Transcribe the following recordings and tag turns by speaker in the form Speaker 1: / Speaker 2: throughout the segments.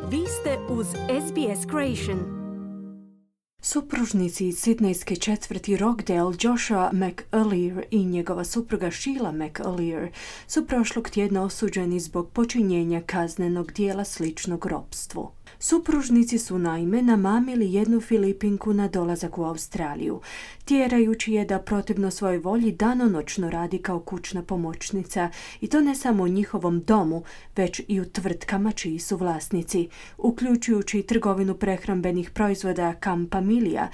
Speaker 1: Vi ste uz SBS Creation.
Speaker 2: Supružnici iz sidnejske četvrti Rockdale, Joshua McAleer i njegova supruga Sheila McAleer su prošlog tjedna osuđeni zbog počinjenja kaznenog dijela sličnog ropstvu. Supružnici su naime namamili jednu Filipinku na dolazak u Australiju, tjerajući je da protivno svojoj volji danonoćno radi kao kućna pomoćnica, i to ne samo u njihovom domu, već i u tvrtkama čiji su vlasnici, uključujući trgovinu prehrambenih proizvoda Campamilija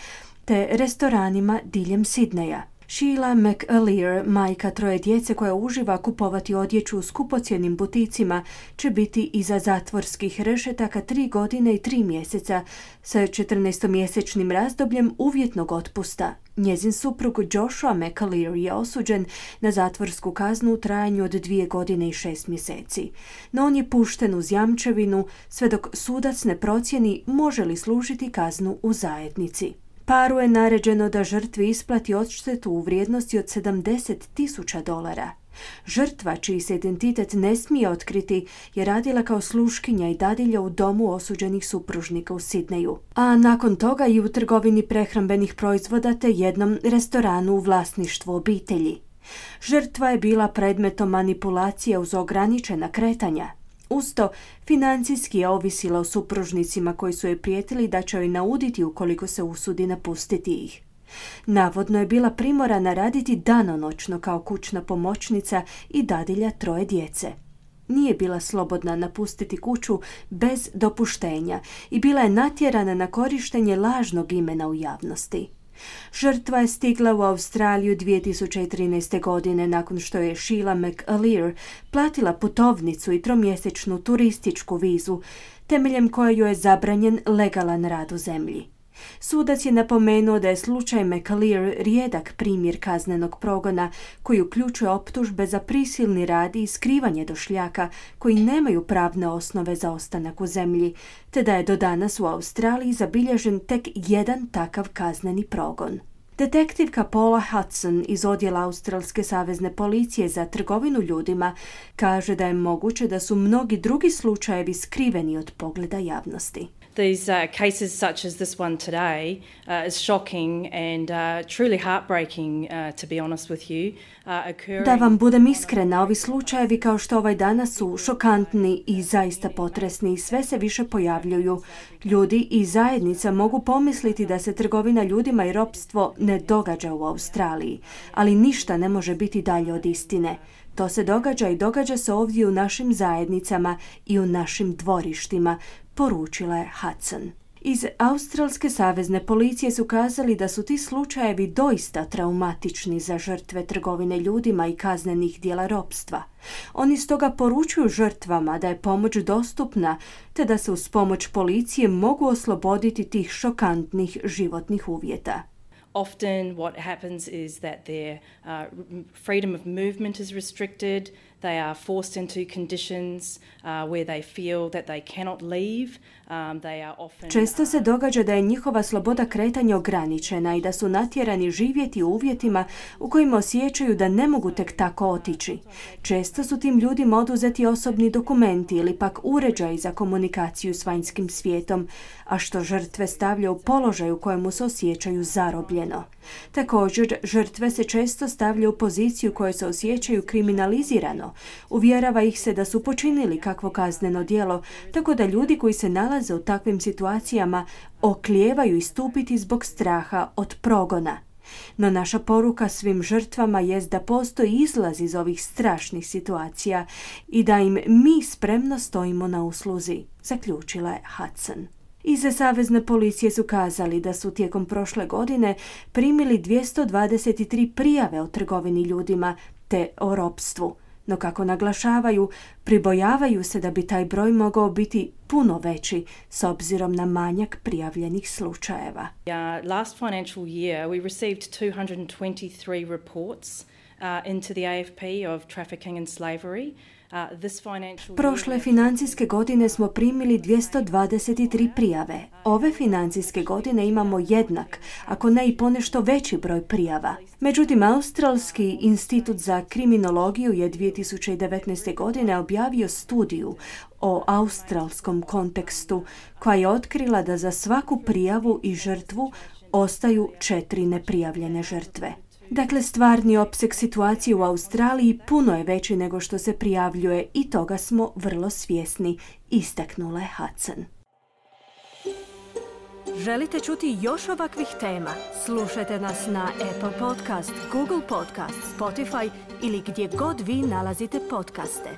Speaker 2: te restoranima diljem Sidneja. Sheila McAleer, majka troje djece koja uživa kupovati odjeću u skupocjenim buticima, će biti iza zatvorskih rešetaka 3 godine i 3 mjeseca sa 14-mjesečnim razdobljem uvjetnog otpusta. Njezin suprug Joshua McAleer je osuđen na zatvorsku kaznu u trajanju od 2 godine i 6 mjeseci. No on je pušten uz jamčevinu sve dok sudac ne procijeni može li služiti kaznu u zajednici. Paru je naređeno da žrtvi isplati odštetu u vrijednosti od $70,000. Žrtva, čiji se identitet ne smije otkriti, je radila kao sluškinja i dadilja u domu osuđenih supružnika u Sidneju, a nakon toga i u trgovini prehrambenih proizvoda te jednom restoranu u vlasništvu obitelji. Žrtva je bila predmetom manipulacije uz ograničena kretanja. Usto, financijski je ovisila o supružnicima koji su joj prijetili da će joj nauditi ukoliko se usudi napustiti ih. Navodno je bila primorana raditi danonoćno kao kućna pomoćnica i dadilja troje djece. Nije bila slobodna napustiti kuću bez dopuštenja i bila je natjerana na korištenje lažnog imena u javnosti. Žrtva je stigla u Australiju 2013. godine nakon što je Sheila McAleer platila putovnicu i 3-mjesečnu turističku vizu, temeljem koje joj je zabranjen legalan rad u zemlji. Sudac je napomenuo da je slučaj McAleer rijedak primjer kaznenog progona koji uključuje optužbe za prisilni rad i skrivanje došljaka koji nemaju pravne osnove za ostanak u zemlji, te da je do danas u Australiji zabilježen tek jedan takav kazneni progon. Detektivka Paula Hudson iz odjela Australske savezne policije za trgovinu ljudima kaže da je moguće da su mnogi drugi slučajevi skriveni od pogleda javnosti.
Speaker 3: These cases such as this one today is shocking and truly heartbreaking, to be honest with you, occurring...
Speaker 2: Da vam budem iskrena, ovi slučajevi kao što ovaj danas su šokantni i zaista potresni i sve se više pojavljuju. Ljudi i zajednica mogu pomisliti da se trgovina ljudima i ropstvo ne događa u Australiji, ali ništa ne može biti dalje od istine. To se događa i događa se ovdje u našim zajednicama i u našim dvorištima, poručila je Hudson. Iz Australske savezne policije su kazali da su ti slučajevi doista traumatični za žrtve trgovine ljudima i kaznenih djela ropstva. Oni stoga poručuju žrtvama da je pomoć dostupna, te da se uz pomoć policije mogu osloboditi tih šokantnih životnih uvjeta.
Speaker 3: Often what happens is that their freedom of movement is restricted. They are forced into conditions where they feel that they cannot leave. They are often...
Speaker 2: Često se događa da je njihova sloboda kretanja ograničena i da su natjerani živjeti u uvjetima u kojima osjećaju da ne mogu tek tako otići. Često su tim ljudima oduzeti osobni dokumenti ili pak uređaji za komunikaciju s vanjskim svijetom, a što žrtve stavlja u položaj u kojemu se osjećaju zarobljeno. Također, žrtve se često stavlja u poziciju u kojoj se osjećaju kriminalizirano. Uvjerava ih se da su počinili kakvo kazneno djelo, tako da ljudi koji se nalaze u takvim situacijama oklijevaju istupiti zbog straha od progona. No naša poruka svim žrtvama jest da postoji izlaz iz ovih strašnih situacija i da im mi spremno stojimo na usluzi, zaključila je Hudson. Iz savezne policije su kazali da su tijekom prošle godine primili 223 prijave o trgovini ljudima te o ropstvu. No kako naglašavaju, pribojavaju se da bi taj broj mogao biti puno veći s obzirom na manjak prijavljenih slučajeva.
Speaker 3: Last financial year we received 223 reports into the AFP of trafficking and slavery.
Speaker 2: Prošle financijske godine smo primili 223 prijave. Ove financijske godine imamo jednak, ako ne i ponešto veći broj prijava. Međutim, Australski institut za kriminologiju je 2019. godine objavio studiju o australskom kontekstu, koja je otkrila da za svaku prijavu i žrtvu ostaju 4 neprijavljene žrtve. Dakle, stvarni opseg situacije u Australiji puno je veći nego što se prijavljuje i toga smo vrlo svjesni, istaknula je Hudson.
Speaker 1: Želite čuti još ovakvih tema? Slušajte nas na Apple Podcast, Google Podcast, Spotify ili gdje god vi nalazite podcaste.